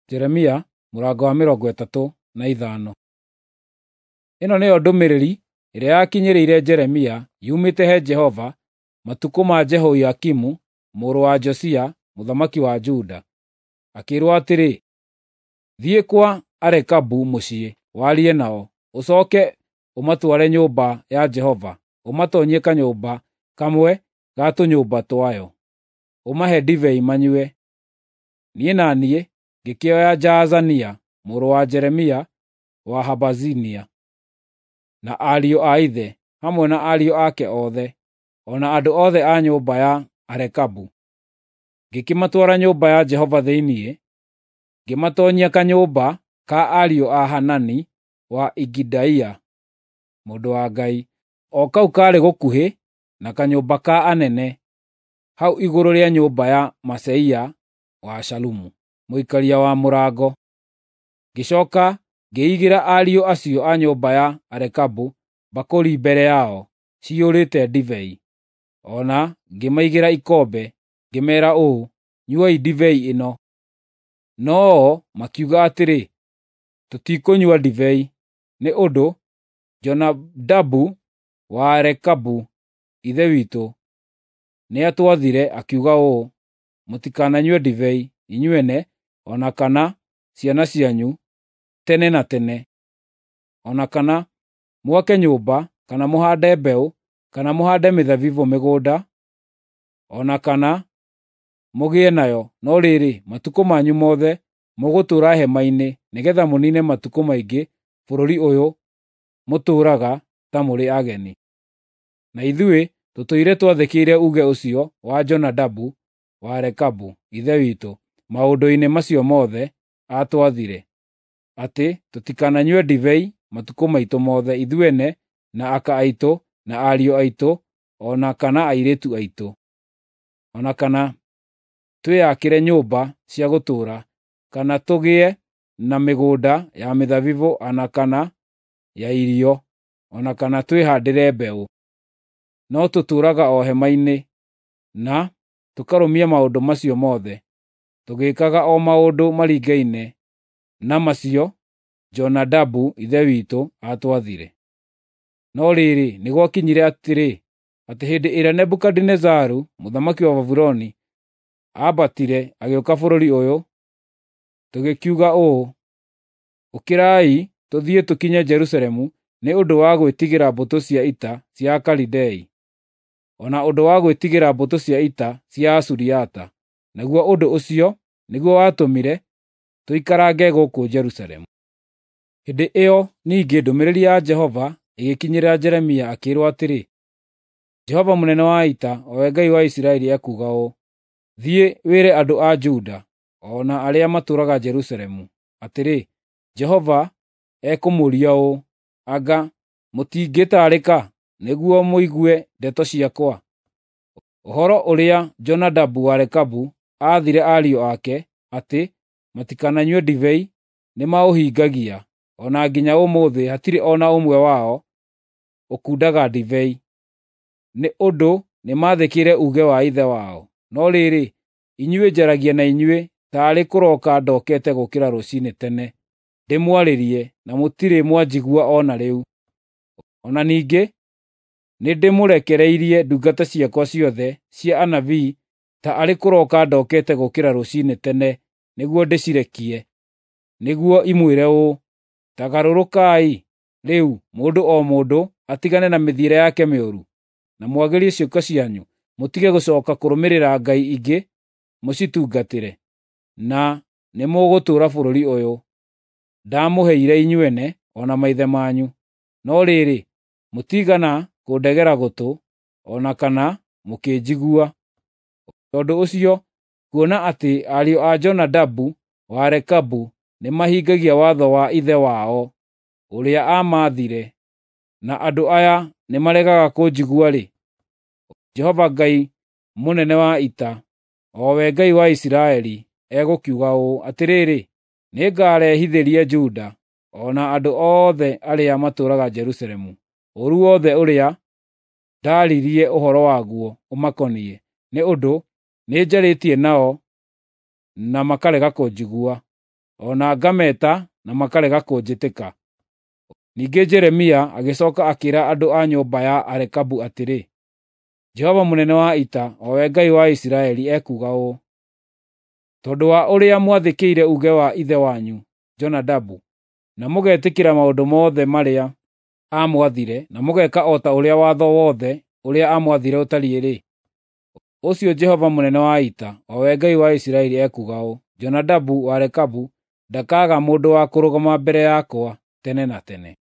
Jeremia mũrango wa 35. Ĩno nĩyo ndũmĩrĩri ĩrĩa yakinyĩrĩire Jeremia yumĩte he Jehova matukũ ma Jehoiakimu mũrũ wa Josia mũthamaki wa Juda. Akĩĩrwo atĩrĩ, “Thiĩ kwa Arekabu mũciĩ warie nao, ũcooke ũmatware nyũmba ya Jehova, ũmatoonyie kanyũmba kamwe ga tũnyũmba twayo, ũmahe ndibei manyue.” Niĩ na niĩ ngĩkĩoya Jaazania mũrũ wa Jeremia wa Habazinia, na ariũ a ithe, hamwe na ariũ ake othe, o na andũ othe a nyũmba ya Arekabu. Ngĩkĩmatwara nyũmba ya Jehova thĩinĩ, ngĩmatoonyia kanyũmba ka ariũ a Hanani wa Igidaia, mũndũ wa Ngai, o kau kaarĩ gũkuhĩ na kanyũmba ka anene, hau igũrũ rĩa nyũmba ya Maaseia wa Shalumu, mũikaria wa mũrango. Ngĩcooka ngĩigĩra ariũ acio a nyũmba ya Arekabu mbakũri mbere yao ciyũrĩte ndibei, o na ngĩmaigĩra ikombe, ngĩmeera ũũ, “Nyuai ndibei ĩno.” No-o makiuga atĩrĩ, “Tũtikũnyua ndibei, nĩ ũndũ Jonadabu wa Rekabu ithe witũ nĩatwathire akiuga ũũ, ‘Mũtikananyue ndibei, inyuene o na kana ciana cianyu, tene na tene, o na kana mwake nyũmba, kana mũhaande mbeũ, kana mũhaande mĩthabibũ mĩgũnda, o na kana mũgĩe nayo, no rĩrĩ, matukũ manyu mothe mũgũtũũra hema-inĩ, nĩgeetha mũniine matukũ maingĩ bũrũri ũyũ mũtũũraga ta mũrĩ ageni.’ Na ithuĩ tũtũire twathĩkĩire uuge ũcio wa Jonadabu wa Rekabu ithe witũ maũndũ-inĩ macio mothe aatwathire, atĩ tũtikananyue ndibei matukũ maitũ mothe, ithuene, na aka aitũ, na ariũ aitũ, o na kana airĩtu aitũ, o na kana twĩakĩre nyũmba cia gũtũũra, kana tũgĩe na mĩgũnda ya mĩthabibũ o na kana ya irio, o na kana twĩhaandĩre mbeũ. No tũtũũraga o hema-inĩ, na tũkarũmia maũndũ macio mothe, tũgĩĩkaga o maũndũ maringaine na macio Jonadabu ithe witũ aatwathire. No rĩrĩ, nĩ gwakinyire atĩrĩ, atĩ hĩndĩ ĩrĩa Nebukadinezaru mũthamaki wa Babuloni aambatire agĩũka bũrũri ũyũ, tũgĩkiuga ũũ, ‘Ũkĩrai tũthiĩ tũkinye Jerusalemu nĩ ũndũ wa gwĩtigĩra mbũtũ cia ita cia Akalidei, o na ũndũ wa gwĩtigĩra mbũtũ cia ita cia Asuriata.’ Naguo ũndũ ũcio nĩguo watũmire tũikarange gũkũ Jerusalemu.” Hĩndĩ ĩyo ningĩ ndũmĩrĩri ya Jehova ĩgĩkinyĩra Jeremia akĩĩrwo atĩrĩ, “Jehova mũnene wa ita, o we Ngai wa Isiraeli ekuuga ũũ: Thiĩ wĩre andũ a Juda o na arĩa matũũraga Jerusalemu atĩrĩ, Jehova ekũmũũria ũũ: Anga mũtingĩtaarĩka nĩguo mũigue ndeto ciakwa? Ũhoro ũrĩa Jonadabu wa Rekabu aathire ariũ ake atĩ matikananyue ndibei nĩmaũhingagia, o na nginya ũmũthĩ hatirĩ o na ũmwe wao ũkundaga ndibei, nĩ ũndũ nĩmathĩkĩire uuge wa ithe wao. No rĩrĩ, inyuĩ njaragia na inyuĩ taarĩ kũroka ndokete gũũkĩra rũciinĩ tene ndĩmwarĩrie, na mũtirĩ mwanjigua o na rĩu. O na ningĩ nĩndĩmũrekereirie ndungata ciakwa ciothe cia anabii ta arĩ kũroka ndokete gũũkĩra rũciinĩ tene nĩguo ndĩcirekie, nĩguo imwĩre ũũ, ‘Ta garũrũkai rĩu, mũndũ o mũndũ atigane na mĩthiĩre yake mĩũru, na mwagĩrie ciĩko cianyu, mũtige gũcooka kũrũmĩrĩra ngai ingĩ mũcitungatĩre, na nĩmũgũtũũra bũrũri ũyũ ndamũheire inyuene o na maithe manyu.’ No rĩrĩ, mũtiigana kũndegera gũtũ, o na kana mũkĩnjigua. Tondũ ũcio, kuona atĩ ariũ a Jonadabu wa Rekabu nĩmahingagia watho wa ithe wao ũrĩa aamaathire, na andũ aya nĩmaregaga kũnjigua-rĩ, Jehova Ngai mũnene wa ita, o we Ngai wa Isiraeli, egũkiuga ũũ: Atĩrĩrĩ, nĩngarehithĩria Juda o na andũ othe arĩa matũũraga Jerusalemu ũũru wothe ũrĩa ndaaririe ũhoro waguo ũmakoniĩ, nĩ ũndũ nĩnjarĩtie nao na makarega kũnjigua.” o na ngameeta na makarega kũnjĩtĩka. Ningĩ Jeremia agĩcooka akĩĩra andũ a nyũmba ya Arekabu atĩrĩ, Jehova mũnene wa ita, o we Ngai wa Isiraeli, ekuuga ũũ: Tondũ wa ũrĩa mwathĩkĩire uuge wa ithe wanyu Jonadabu, na mũgetĩkĩra maũndũ mothe marĩa aamwathire, na mũgeka o ta ũrĩa watho wothe ũrĩa aamwathire ũtariĩ-rĩ, ũcio Jehova mũnene wa ita, o we Ngai wa Isiraeli, ekuuga ũũ: Jonadabu wa Rekabu ndakaaga mũndũ wa kũrũgama mbere yakwa tene na tene.